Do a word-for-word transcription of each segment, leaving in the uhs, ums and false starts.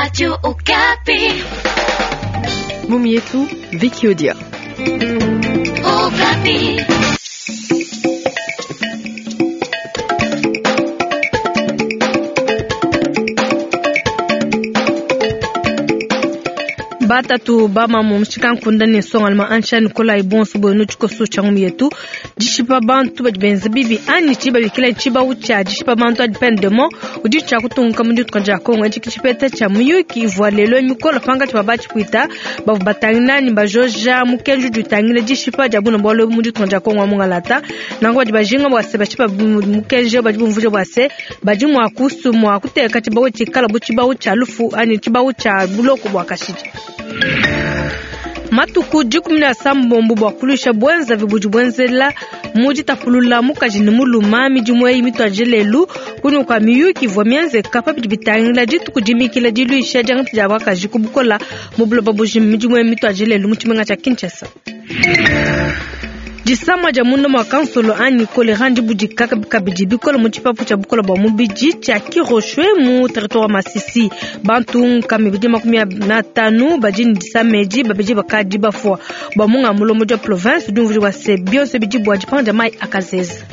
Radio Okapi. Mumietu, Vicky Odia. Okapi. Batatu bamamu mushikankunde ne nsongaluma ansha Nikolai bonso bwenu tshikoso tshia ngumi yetu dishipa bantu badi benza bibi anyi tshibabikila tshibawu tshia dishipa bantu adi peine de mort udi tshia kutunguka mu dituka dia Kongo. Etshi tshipeta tshia muyuki ivua lelo mikolo pangatshi pa batshipwita bavua batangila ne bajoja mukenji udi utangila dishipa dia buna bualu mu dituka dia Kongo wa mungalata. Nanku badi bajinga bua se bashipa mukenji badi bumvuija bua se badi mua kusu mua kuteka tshibawu tshikala bu tshibawu tshia lufu anyi tshibawu tshia buloko bua kashidi. Matuku dikumi na sambombo bua kulusha bwenza budi bwenzela mu ditapulula mukaji ne muluma midimu eyi mituadije lelu kunyima kua miyuki ivua mienzeka pabidi bitangila dituku dimikila diluisha diangata dia bakaji ku bukola mu buloba bujima. Midimu eyi mituadije lelu mu tshimenga tshia Kinshasa. Disama dia munda mua kansolo anyi kolera ndibudika kabidi bikole mu tshipapu tshia bukola bua mubidi tshia Kiroshwe mu territoire wa Masisi. Bantu nkama ibidi makumi atanu badi ne disama edi, babidi bakadi bafua. Bua munga mulombodi wa province udi umvuija bua se bionso bidi bua dipanga dia mayi akazeza.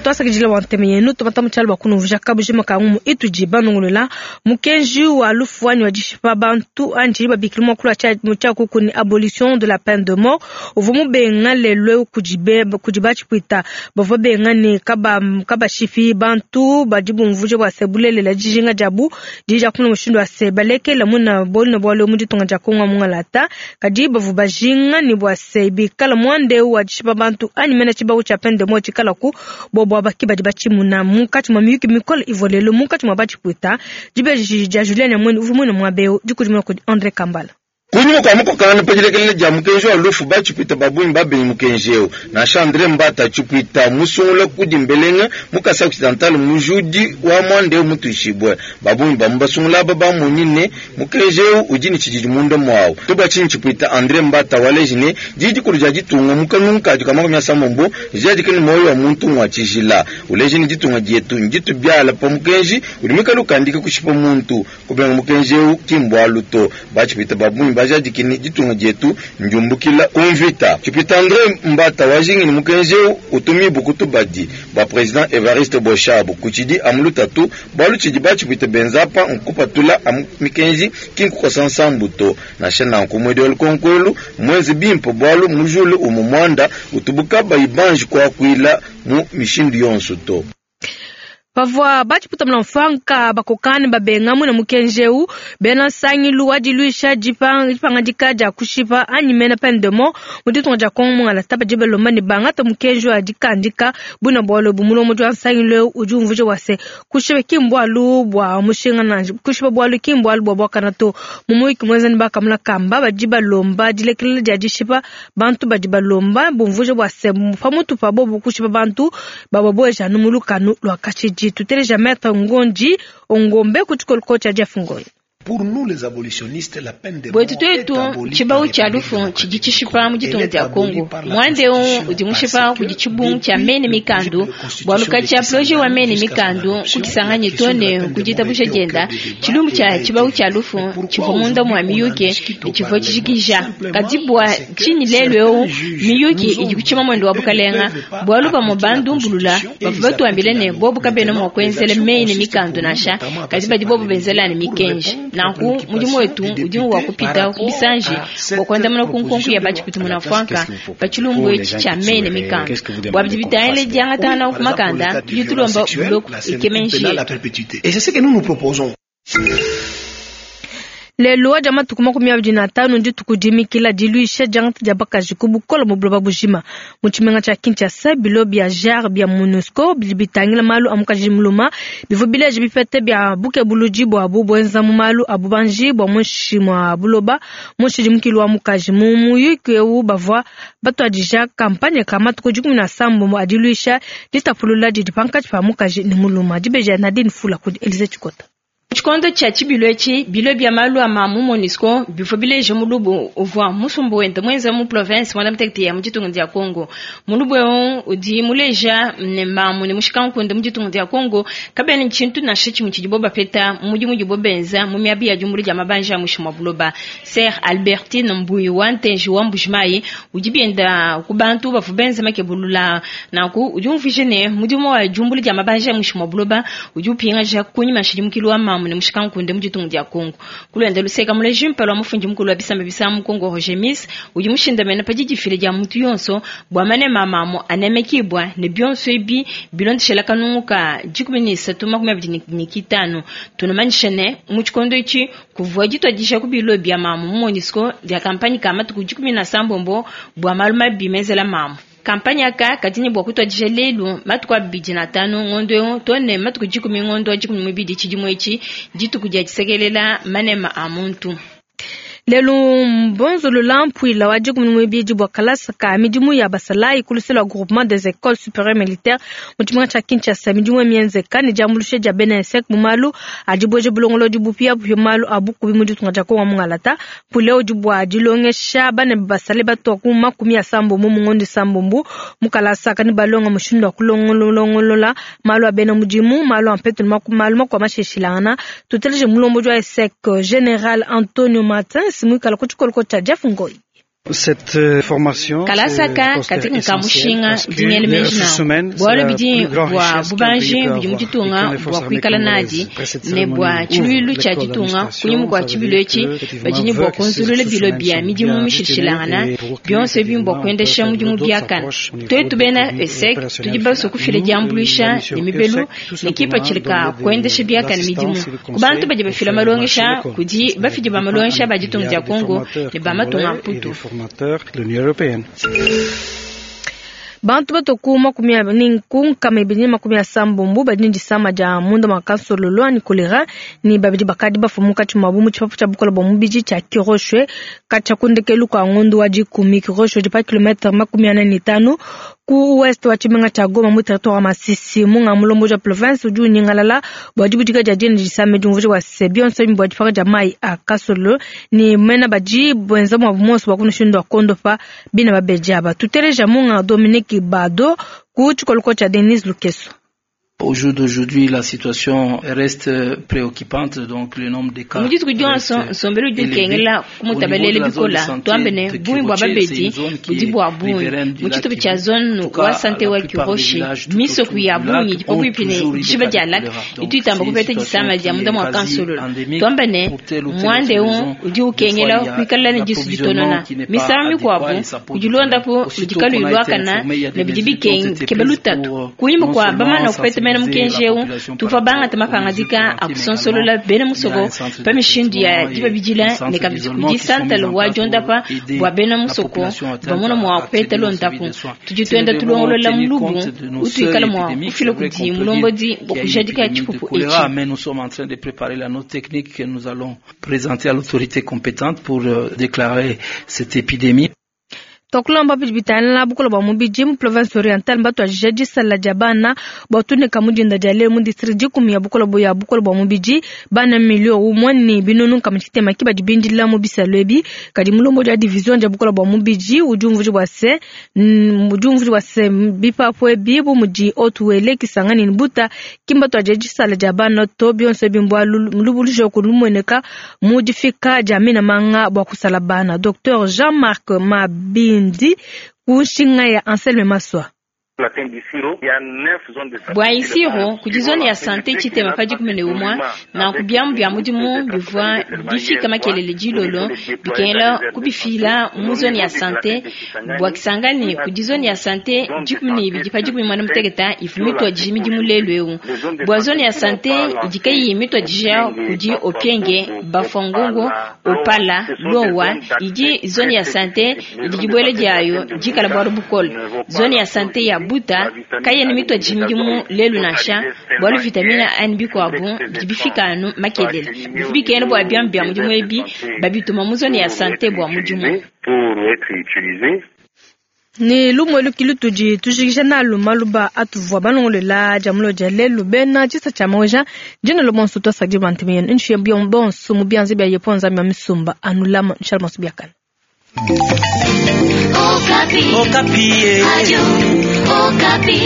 Twasakidila wa nteme yenu tumata mu tshialu bua kunumvuija kabujima ka ngumu itudi banongolola mukenji wa lufu anyi wa dishipa bantu anyi tshidi babikila muakulu wa tshia kuku ni abolition de la peine de mort uvua mubenga lelo kudi kudi batshipwita bavua benga ne kaba kabashipi bantu badi bumvuija bua se bulelela dijinga diabu dija kumuna mushindu wa se balekela muna bolina bualu mu ditunga dia Kongo mungalata kadi bavua bajinga ne bua se bikala muande wa dishipa bantu anyi mena tshibawu tshia peine de mort tshikalaku bobo baki badi batshimuna munkatshi mua miyuki mikole ivua lelo munkatshi mua batshipwita. Dibeji dia Julien Nyamwene uvua muine muaba eu dikudimuna kudi Andre Kambala. Kunyima kua mukokangana pa dilekelela dia mukenji wa lufu batshipwita babungi babengi mukenji eu. Nansha Andre Mbata tshipwita musungula kudi mbelenga mu Kasai Occidental mujudi wa muanda eu mutuishibue. Babungi bamu basungula aba bamonyi ne mukenji eu udi ne tshididi munda muawu. Toba tshinyi tshipwita Andre Mbata waleji ne didi dikulu dia ditunga mu kanungu kadi ka makumi asambombo dijadika ne moyo wa muntu ngwa tshijila. Uleji ne ditunga dietu nditu biala pa mukenji udi muikale ukandika kushipa muntu. Kubenga mukenji eu ki mbualu to. Batshipwita babungi bajadikini ditunga dietu njumbukila kumvita. Tshipwita Andre Mbata wajingi ni mukenji eu utumi bukutu badi ba president Evariste Boshab kuchidi amulutatu balu tshidi batshipwita benzapa nkupatula amu mikenji kinkukosa nsambu to. Nansha nanku mwedi wa lukonkwelu mwezi bimpo bwalu mujulu umu mwanda utubuka bayibanji kwakwila mu mishindu yonso to. Pavua batshipwita mula bakokani babenga mwina mukenji eu bena nsangilu wa diluisha dipangadika dia kushipa anyi mena peine de mort mu ditunga dia Kongo mungalata badi balomba ne bangata mukenji wa dikandika buna bualu ebu. Mulombodi wa nsangilu eu udi umvuija bua se kushipa ki mbualu bua mushinga nansha kushipa bualu ki mbualu bua buakana to. Mu muyuki muenza ne bakamuna kamba badi balomba dilekelela dia dishipa bantu badi balomba bumvuija bua se pamutu pa bobu kushipa bantu bababueja anu mu lukanu lua kashidi. Tuteleja Maître Ngondi Ongombe kutshikoloko tshia Jeff Ngoyi. Pour nous les abolitionnistes, la peine de mort bwetu twetu tshibawu tshia lufu tshidi tshishipa mu ditunga dia Kongo. Muanda eu udi mushipa kudi tshibungu tshia mene mikandu bualu katshia projet wa mene mikandu kukisanganye tone kuditabusha dienda tshilumbu tshia tshibawu tshia lufu tshivua munda mua miyuki tshivua tshijikija kadi bua tshinyi lelu eu miyuki idi kutshima mwendo wa bukalenga bualu bamue bandumbulula bavua batuambile ne bobu kabena mua kuenzela mene mikandu nansha kadi badi bobu benzela ne mikenji. Nanku mudimu wetu udi wa kupita ku bisanji bua kuandamuna ku nkonko ya batshipwita munafuanka pa tshilumbu etshi tshia mene mikandu bua bidi bitangila diangatangana ku makanda tudi tulomba buloko ikemenji yetu. Et c'est ce que nous nous proposons. Lelo wa dia matuku makumi abidi na atanu dituku dimikila diluisha diangata dia bakaji ku bukola mu buloba bujima. Mu tshimenga tshia Kinshasa bilo bia J A R bia MONUSCO bidi bitangila malu a mukaji muluma bivua bileja bipete bia bukebuludi buabu buenza mu malu a bubanji bua muinshi mua buloba mu nshidimukilu wa mukaji. Mu muyuki eu bavua batuadija kampanye ka matuku dikumi na sambo a diluisha ditapulula didi pankatshi pa mukaji ne muluma. Dibeji ya Nadine Fula kudi Elise Tshikota. Tshikondo tshia tshibilu etshi, bilo bia malu a mamu MONUSCO bivua bileja mulubu uvua musumba wenda muenza mu province muanda mutekete ya mu ditunga dia Congo. Mulubu eu udi muleja ne mamu ne mushikankunde mu ditunga dia Congo kabena tshintu nansha tshimue tshidibo bapeta mu mudimu udibo benza mu miaba ya diumbula dia mabanja a muinshi mua buloba. Sœur Albertine Mbuyi wa Ntenji wa Mbujimayi udi bienda ku bantu bavua benza makebulula nanku udi umvuija ne mudimu wa diumbula dia mabanja a muinshi mua buloba udi upingaja kunyima nshidimukilu wa mamu ne mushikankunde mu ditunga dia Congo. Kulwenda luseka muleji mpala wa mufundi mukulu wa bisamba bisa mu Congo Roger Miss udi mushindamene pa didifila dia mutu yonso bua manema a mamu anemekibwa ne bionso ebi bilondeshela kanungu ka dikumi ne isatu makumi abidi ne kitanu. Tunamanyisha ne mu tshikondo etshi kuvua dituadija ku bilo bia mamu mu MONUSCO dia kampanye ka matuku dikumi na sambombo bua malu mabi menzela mamu. Kampanye aka kadi ne bua kutuadija lelu matuku abidi na tanu ngondo eu too ne matuku dikumi ngondo wa dikumi muibidi tshidimu etshi dituku dia disekelela manema a muntu. Lelu mbonzolola mpuila wa dikumi muibidi bua kalasa ka midimu ya basalayi ku luseke lua groupement des écoles supérieures militaires mu tshimenga tshia Kinshasa. Midimu mienzeka ne diambuluisha dia bena ESSEC mu malu a dibueja bulongolodi bupiabupia mu malu a bukubi mu ditunga dia Kongo mungalata. Mpuila udi bua dilongesha bana basalayi batua ku makumi asambombo mu ngondo isambombo mu kalasa kani balonga mushindu wa kulongolola malu a bena mudimu, malu a mpetu ne malu makuabu mashilashilangana. Tuteleje mulombodi wa ESSEC General Antonio Martins muikala ku tshikoloko tshia Jeff Ngoi. Cette formation kalasaka katika nkamushinga dingele meji bwalo bidi bwa bubanji budi mu ditunga bwa kuikala nadi ne bwa tshiluilu tshia ditunga kunyima kua tshibilu etshi badi ne bua kunzulula bilo bia midimu mishilashilangana bionso ebi mbua kuendesha mudimu biakana. Tuetu bena ESSEC tudi basue kufila diambuluisha ne mibelu ne kipatshila ka kuendesha biakana midimu ku bantu badi bafila malongesha kudi bafidi ba malongesha ba ditunga dia Congo ne ba matunga a Mputu. De l'Union européenne. Bantu batoku makumi ni kunkama ibidi makumi asambombo badi ne disama dia munda mua kansololo ani kolera ni babidi bakadi bafua munkatshi muabu mu tshipapu tshia bukola bua mubidi tshia Kiroshwe katshia ku ndekelu kua ngondo wa dikumi. Kiroshwe udi pa kilometre makumi ane ne tanu ku ouest wa tshimenga tshia Goma mu territoire wa Masisi. Munga mulombodi wa province udi unyingalala bua dibudika dia dina disama diumvuija bua se bionso ebi bua dipaka dia mayi a kasololo ne mena badi benza muabu monso bua kunushindu wa kondopa bina babedi aba. Tuteleja munga Dominique Bado ku tshikoloko tshia Denise Lukeso. Au jour d'aujourd'hui, la situation reste préoccupante, donc le nombre de cas. Mu dituku dionso nsombelu udi ukengela kumutabalela bikola tuambe ne bungi bua babedi budi bua bungi mu tshitupa tshia zone wa sante wa Kiroshi misoku ya bungi idi pabuipi ne dishiba dia lac itu itamba kupeta disama dia munda mua kansololo. Tuambe ne muanda eu udi ukengela kuikala ne disu ditonona misangu mikuabu kudi luondapu ludi kaluyi luakana ne bidi bikeba lutatu kunyima kua bamana kupeta mena mukenji eu tuvua bangata mapangadika a kusonsolola bena musoko pa mishindu ya dibabidila ne kabidi kudi santale wa diondapa bua bena musoko bamona mua kupeta luondapu. Tudi tuenda tulongolola mulubu utuikala mua kufila kudi mulombodi bua kujadika tshipupu etshi. Mais nous sommes en train de préparer la note technique que nous allons présenter à l'autorité compétente pour déclarer cette épidémie. Twakulamba bidi bitangila bukola bua mubidi mu province orientale mbatuadija disala dia bana bua tuneka mu dinda dia lelu mu district dikumi ya bukola ya bukola bua mubidi bana milio umue ne binunu nkama tshitema ki badi bindila mu bisalu ebi. Kadi mulombodi wa division dia bukola bua mubidi udi umvuija bua se udi umvuija bua se bipapu ebi bu mudi Haut-Uele Kisangani ne Buta ki mbatuadija disala dia bana to bionso ebi mbua lubuluja ku lumueneka mu difika dia mina manga bua kusala bana. Docteur Jean-Marc Mabin ndi kushinga ya Anselme Maswa. Bua Isiro kudi zone ya sante tshitema pa dikumi ne umue nanku biamu bia mudimu bivua bifika makelele dilolo bikengela kubifila mu zone ya sante bua Kisangani kudi zone ya sante dikumi ne ibidi pa dikumi muanda mutekete ivua mituadije midimu lelu eu. Bua zone ya sante idi kayiyi mituadija kudi Opienge, Bafangongo, Opala, Lowa idi zone ya sante idi dibuela diayo dikala bualu bukole. Zone ya sante ya Buta kayena mituadije midimu lelu nansha bualu vitamine A ne bikuabu bidi bifika anu makelele bivua bikengela bua biamu bia mudimu ebi babituma mu zone ya sante bua mudimu. Ni lumwe lukilu tudi tujikija nalu maluba atuvua balongolola dia mulo dia lelu bena tshisa tshia maweja dina bonso twasadi bantu benu nshiye bonso mu bianza bia yepo nzambi ya misumba anulama nshala masu biakana. Okapi. Okapi. Radio Okapi.